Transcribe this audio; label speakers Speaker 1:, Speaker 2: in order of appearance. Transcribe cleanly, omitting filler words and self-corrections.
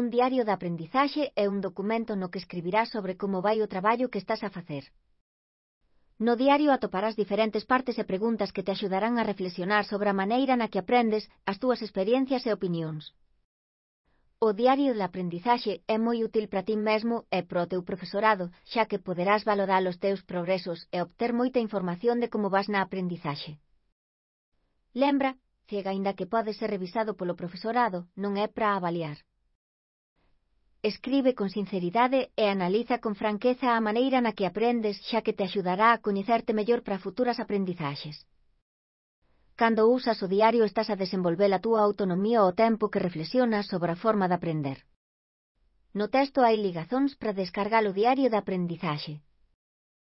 Speaker 1: Un diario de aprendizaxe é un documento no que escribirás sobre como vai o traballo que estás a facer. No diario atoparás diferentes partes e preguntas que te axudarán a reflexionar sobre a maneira na que aprendes, as túas experiencias e opinións. O diario de aprendizaxe é moi útil para ti mesmo e para o teu profesorado, xa que poderás valorar os teus progresos e obter moita información de como vas na aprendizaxe. Lembra, que aínda que pode ser revisado polo profesorado, non é para avaliar. Escribe con sinceridade e analiza con franqueza a maneira na que aprendes, xa que te axudará a coñecerte mellor para futuras aprendizaxes. Cando usas o diario estás a desenvolver a túa autonomía ao tempo que reflexionas sobre a forma de aprender. No texto hai ligazóns para descargar o diario de aprendizaxe.